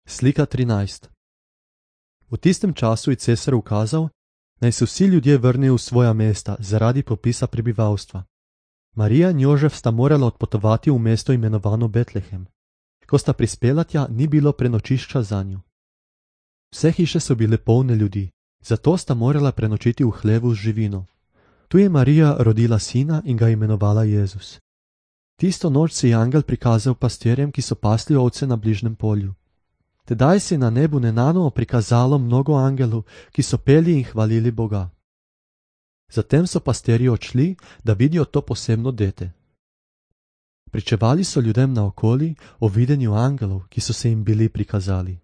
Slika 13. V tistem času je cesar ukazal, naj se vsi ljudje vrnejo v svoja mesta zaradi popisa prebivalstva. Marija in Jožef sta morala odpotovati v mesto imenovano Betlehem. Ko sta prispela tja, ni bilo prenočišča zanju. Vse hiše so bile polne ljudi, zato sta morala prenočiti v hlevu z živino. Tu je Marija rodila sina in ga imenovala Jezus. Tisto noč se je angel prikazal pastirjem, ki so pasli ovce na bližnjem polju. Tedaj se je na nebu nenadoma prikazalo mnogo angelov, ki so peli in hvalili Boga. Zatem so pastirji odšli, da vidijo to posebno dete. Pričevali so ljudem naokoli o videnju angelov, ki so se jim bili prikazali.